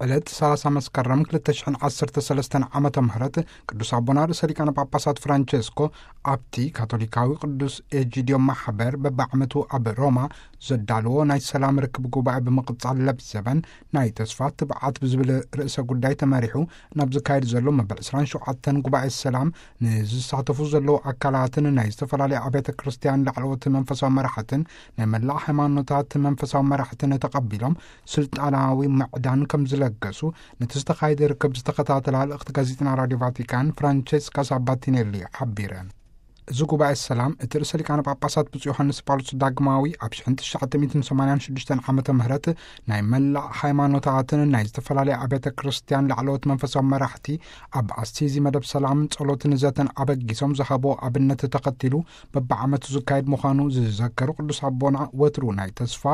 ዕለት ሰላሳ መስከረም ክልተ ሽሕን ዓሰርተ ሰለስተን ዓመተ ምህረት ቅዱስ ኣቦና ርእሰ ሊቃነ ጳጳሳት ፍራንቸስኮ ኣብቲ ካቶሊካዊ ቅዱስ ኤጂዲዮ ማሕበር በብዓመቱ ኣብ ሮማ ዘዳልዎ ናይ ሰላም ርክብ ጉባኤ ብምቕጻል ለብዘበን ናይ ተስፋ ትብዓት ብዝብል ርእሰ ጉዳይ ተመሪሑ ናብ ዝካየድ ዘሎ መበል ዕስራን ሸውዓተን ጉባኤ ሰላም ንዝሳተፉ ዘለዉ ኣካላትን ናይ ዝተፈላለዩ ኣብያተ ክርስቲያን ላዕለዎት መንፈሳዊ መራሕትን ናይ መላእ ሃይማኖታት መንፈሳዊ መራሕትን ተቐቢሎም ስልጣናዊ ምዕዳን ከም ዝለገሱ ነቲ ዝተኻየደ ርክብ ዝተኸታተላ ልእኽቲ ጋዜጠና ራዲዮ ቫቲካን ፍራንቸስካ ሳባቲኔሊ ሓቢረን። እዚ ጉባኤ ሰላም እቲ ርእሰ ሊቃነ ጳጳሳት ብፁዕ ዮሃንስ ጳውሎስ ዳግማዊ ኣብ ሽሕን ትሽዓተ ሚእትን ሰማንያን ሽዱሽተን ዓመተ ምህረት ናይ መላእ ሃይማኖታትን ናይ ዝተፈላለዩ ኣብያተ ክርስቲያን ላዕለዎት መንፈሳዊ መራሕቲ ኣብ ኣሲዚ መደብ ሰላምን ጸሎትን ዘተን ኣበጊሶም ዝሃቦ ኣብነት ተኸቲሉ በብዓመቱ ዝካየድ ምዃኑ ዝዘከሩ ቅዱስ ኣቦና፣ ወትሩ ናይ ተስፋ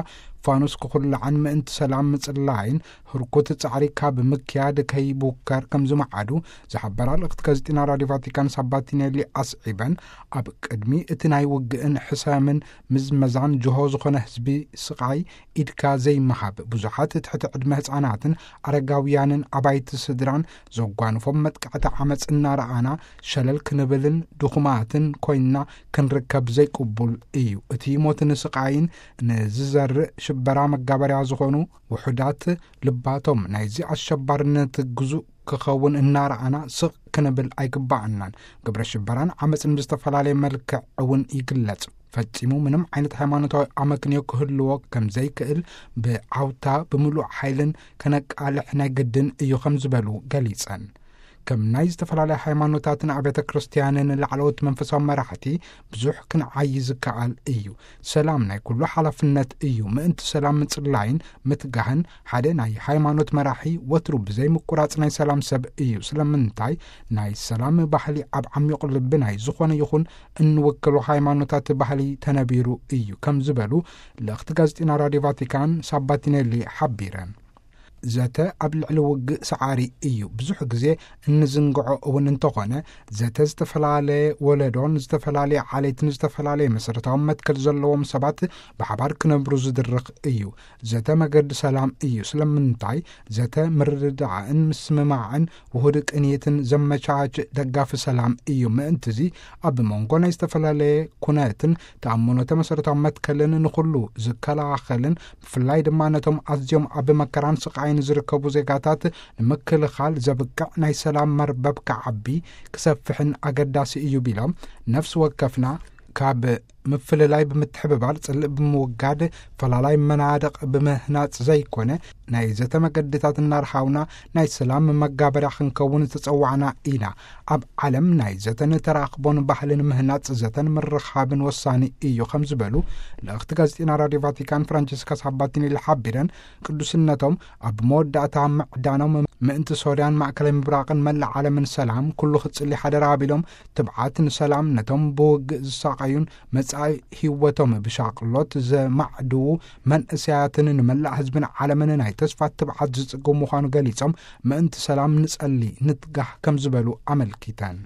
ፋኑስ ክኹላዕን ምእንቲ ሰላም ምጽላይን ህርኩት ጻዕሪ ካብ ምክያድ ከይቡከር ከም ዝመዓዱ ዝሓበራ ልእኽቲ ጋዜጢና ራዲዮ ቫቲካን ሳባቲኔሊ ኣስዒበን፣ ኣብ ቅድሚ እቲ ናይ ውግእን ሕሰምን ምዝመዛን ጅሆ ዝኾነ ህዝቢ ስቓይ ኢድካ ዘይምሃብ፣ ብዙሓት ትሕቲ ዕድመ ህጻናትን ኣረጋውያንን ኣባይቲ ስድራን ዘጓንፎም መጥቃዕቲ ዓመጽ እናረኣና ሸለል ክንብልን ድኹማትን ኮይንና ክንርከብ ዘይቅቡል እዩ። እቲ ሞትን ስቓይን ንዝዘርእ ሽበራ መጋበርያ ዝኾኑ ውሑዳት ልባቶም ናይዚ ኣሸባርነት ግዙእ ክኸውን እናረኣና ስቕ ክንብል ኣይግባኣናን። ግብረ ሽበራን ዓመጽን ብዝተፈላለየ መልክዕ እውን ይግለጽ። ፈጺሙ ምንም ዓይነት ሃይማኖታዊ ኣመክንዮ ክህልዎ ከም ዘይክእል ብዓውታ ብምሉእ ሓይልን ከነቃልሕ ናይ ግድን እዩ ከም ዝበሉ ገሊጸን። ከም ናይ ዝተፈላለያ ሃይማኖታትን ኣብያተ ክርስቲያንን ላዕለዎት መንፈሳዊ መራሕቲ ብዙሕ ክንዓዪ ዝከኣል እዩ። ሰላም ናይ ኩሉ ሓላፍነት እዩ። ምእንቲ ሰላም ምጽላይን ምትጋህን ሓደ ናይ ሃይማኖት መራሒ ወትሩ ብዘይ ምቁራጽ ናይ ሰላም ሰብ እዩ። ስለምንታይ? ናይ ሰላም ባህሊ ኣብ ዓሚቑ ልቢ ናይ ዝኾነ ይኹን እንውክሎ ሃይማኖታት ባህሊ ተነቢሩ እዩ ከም ዝበሉ ልእኽቲ ጋዜጢና ራዲዮ ቫቲካን ሳባቲኔሊ ሓቢረን። ዘተ ኣብ ልዕሊ ውግእ ሰዓሪ እዩ። ብዙሕ ግዜ እንዝንግዖ እውን እንተኾነ፣ ዘተ ዝተፈላለየ ወለዶን ዝተፈላለየ ዓሌትን ዝተፈላለየ መሰረታዊ መትከል ዘለዎም ሰባት ብሓባር ክነብሩ ዝድርኽ እዩ። ዘተ መገዲ ሰላም እዩ። ስለምንታይ? ዘተ ምርድዳእን ምስምማዕን ውሁድ ቅንይትን ዘመቻች ደጋፊ ሰላም እዩ። ምእንትዚ ኣብ መንጎ ናይ ዝተፈላለየ ኩነትን ተኣምኖተ መሰረታዊ መትከልን ንኹሉ ዝከላኸልን ብፍላይ ድማ ነቶም ኣዝዮም ኣብ መከራን ስቓይን ዝርከቡ ዜጋታት ንምክልኻል ዘብቅዕ ናይ ሰላም መርበብ ክዓቢ ክሰፍሕን ኣገዳሲ እዩ ቢሎም፣ ነፍሲ ወከፍና ካብ ምፍልላይ ብምትሕብባር ጽልእ ብምውጋድ ፈላላይ መናድቕ ብምህናጽ ዘይኮነ ናይ ዘተ መገድታት እናርሃውና ናይ ሰላም መጋበርያ ክንከውን ዝተጸዋዕና ኢና። ኣብ ዓለም ናይ ዘተን ተራኽቦን ባህልን ምህናጽ ዘተን ምርኻብን ወሳኒ እዩ ከም ዝበሉ ልእኽቲ ጋዜጢና ራዲዮ ቫቲካን ፍራንቸስካ ሳባቲኔሊ ሓቢረን፣ ቅዱስነቶም ኣብ መወዳእታ ምዕዳኖም ምእንቲ ሶርያን ማእከላይ ምብራቕን መላእ ዓለምን ሰላም ኩሉ ክጽሊ ሓደራ ኣቢሎም፣ ትብዓት ንሰላም ነቶም ብውግእ ዝሳቐዩን መጻኢ ህይወቶም ብሻቕሎት ዘማዕድዉ መንእሰያትን ንመላእ ህዝብን ዓለምን ናይ ተስፋ ትብዓት ዝጽግቡ ምዃኑ ገሊጾም፣ ምእንቲ ሰላም ንጸሊ፣ ንትጋህ ከም ዝበሉ ኣመልኪተን።